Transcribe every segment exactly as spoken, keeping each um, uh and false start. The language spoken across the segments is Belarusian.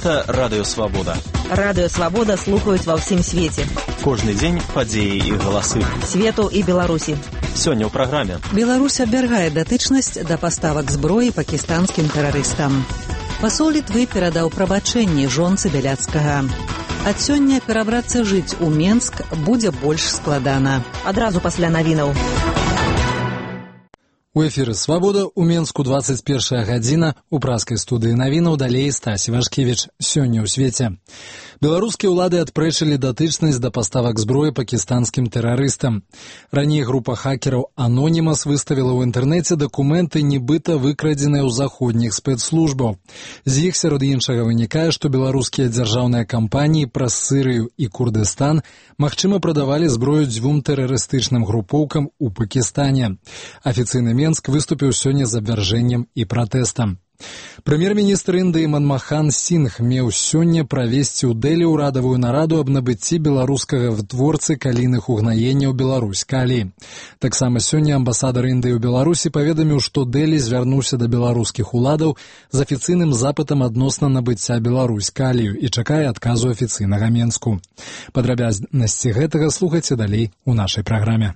Гэта Радыё Свабода. Радыё Свабода слухаюць ва ўсім свеце. Кожны дзень падзеі і галасы. Свету і Беларусі. Сёння ў праграме. Беларусь абвяргае датычнасць да паставак зброі пакістанскім тэрарыстам. Пасол Літвы перадаў прабачэнні жонцы Бяляцкага. Ад сёння перабрацца жыць у Менск будзе больш складана. Адразу пасля навінаў. У эфіры «Свабода» у Менску двадцать первая гадзіна, у праскай студыі навінаў далей Стасі Вашкевіч. Сёння ў свеце. Беларускія ўлады адпрэчылі датычнасць да паставак зброі пакістанскім тэрарыстам. Раней група хакераў «Анонімас» выставіла ў інтэрнэце дакументы, нібыта выкрадзеныя ў заходніх спецслужбаў. З іх сярод іншага вынікае, што беларускія дзяржаўныя кампаніі праз Сырыю і Курдыстан магчыма прадавалі зброю дзвюм тэрарыстычным групоўкам у Пакістане. Афіцыйны Менск выступіў сёння з абвяржэннем і пратэстам. Прэм'ер-міністр Індыі Манмахан Сінг меў сёння правесці ў Дэлі ўрадавую нараду аб набыцці беларускага вытворцы калійных угнаенняў Беларусь Калі. Таксама сёння амбасадар Індыі ў Беларусі паведаміў, што Дэлі звярнуўся да беларускіх уладаў з афіцыйным запытам адносна набыцця Беларусь Калію і чакае адказу афіцыйнага Менску. Падрабязнасці гэтага слухайце далей у нашай праграме.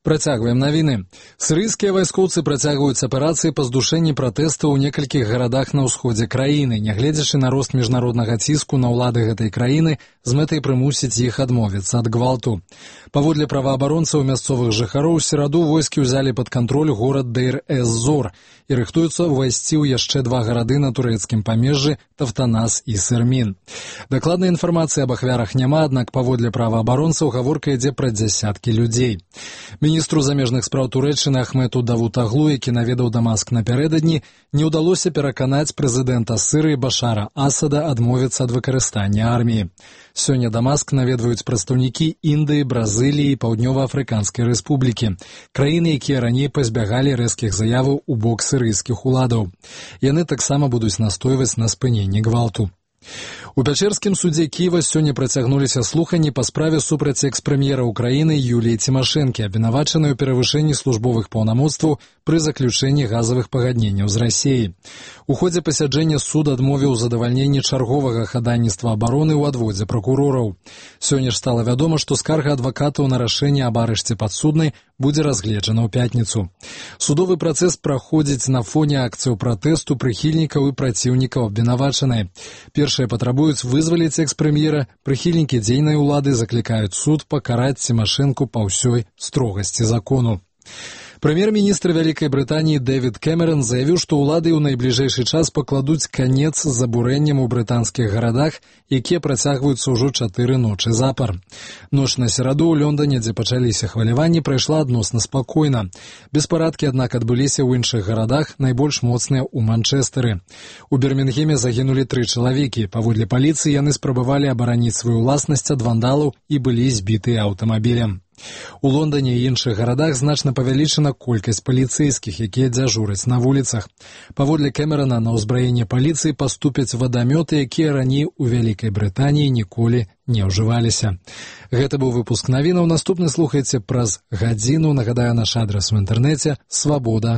Працягваем навіны. Сірыйскія вайскоўцы працягваюць аперацыі па здушэнні пратэстаў у некалькіх гарадах на ўсходзе краіны, нягледзячы на рост міжнароднага ціску на ўлады гэтай краіны з мэтай прымусіць іх адмовіцца ад гвалту. Паводле праваабаронцаў мясцовых жыхароў, у сераду войскі ўзялі пад кантроль горад Дейр-эз-Зор і рыхтуюцца ўвайсці ў яшчэ два гарады на турэцкім памежжы Тафтанас і Сырмін. Дакладнай інфармацыі аб ахвярах няма, аднак паводле праваабаронцаў гаворка ідзе пра дзясяткі людзей. Міністру замежных спраў Турэччыны Ахмету Давутаглу, які наведаў Дамаск напярэдадні, не ўдалося пераканаць прэзідэнта Сырыі Башара Асада адмовіцца ад выкарыстання арміі. Сёння Дамаск наведваюць прадстаўнікі Індыі, Бразыліі і Паўднёва-Афрыканскай рэспублікі, краіны, якія раней пазбягалі рэзкіх заяваў у бок сірыйскіх уладаў. Яны таксама будуць настойваць на спыненні гвалту. У Пячэрскім судзе Кіева сёння працягнуліся слуханні па справе супраць экс-прэм'ера Украіны Юліі Цімашэнкі, абвінавачанай у перавышэнні службовых паўнамоцтваў пры заключэнні газавых пагадненняў з Расіяй. У ходзе пасяджэння суд адмовіў задавальненні чарговага хадайніцтва абароны ў адводзе пракурораў. Сёння ж стала вядома, што скарга адвакатаў на рашэнне аб арышце падсуднай будзе разгледжана ў пятніцу. Судовы працэс праходзіць на фоне акцыяў пратэсту прыхільнікаў і праціўнікаў абвінавачанай. Першыя патрабуюць вызваліць экс-прэм'ера, прыхільнікі дзейнай улады заклікаюць суд пакараць Цімашэнку па ўсёй строгасці закону. Прэм'ер-міністр Вялікай Брытаніі Дэвід Кэмерон заявіў, што ўлады ў найбліжэйшы час пакладуць канец забурэнням у брытанскіх гарадах, якія працягваюцца ўжо чатыры ночы запар. Ноч на сераду ў Лондане, дзе пачаліся хваляванні, прайшла адносна спакойна. Беспарадкі, аднак, адбыліся ў іншых гарадах, найбольш моцныя ў Манчэстэры. У Бірмінгеме загінулі тры чалавекі. Паводле паліцыі яны спрабавалі абараніць сваю ўласнасць ад вандалаў і былі збітыя аўтамабілем. У Лондане і іншых гарадах значна павялічана колькасць паліцэйскіх, якія дзяжураць на вуліцах. Паводле Кэмерана, на ўзбраенне паліцыі паступяць вадамёты, якія раней у Вялікай Брытаніі ніколі не ўжываліся. Гэта быў выпуск навінаў. Наступны слухайце праз гадзіну. Нагадаю, наш адрас у інтэрнэце свабода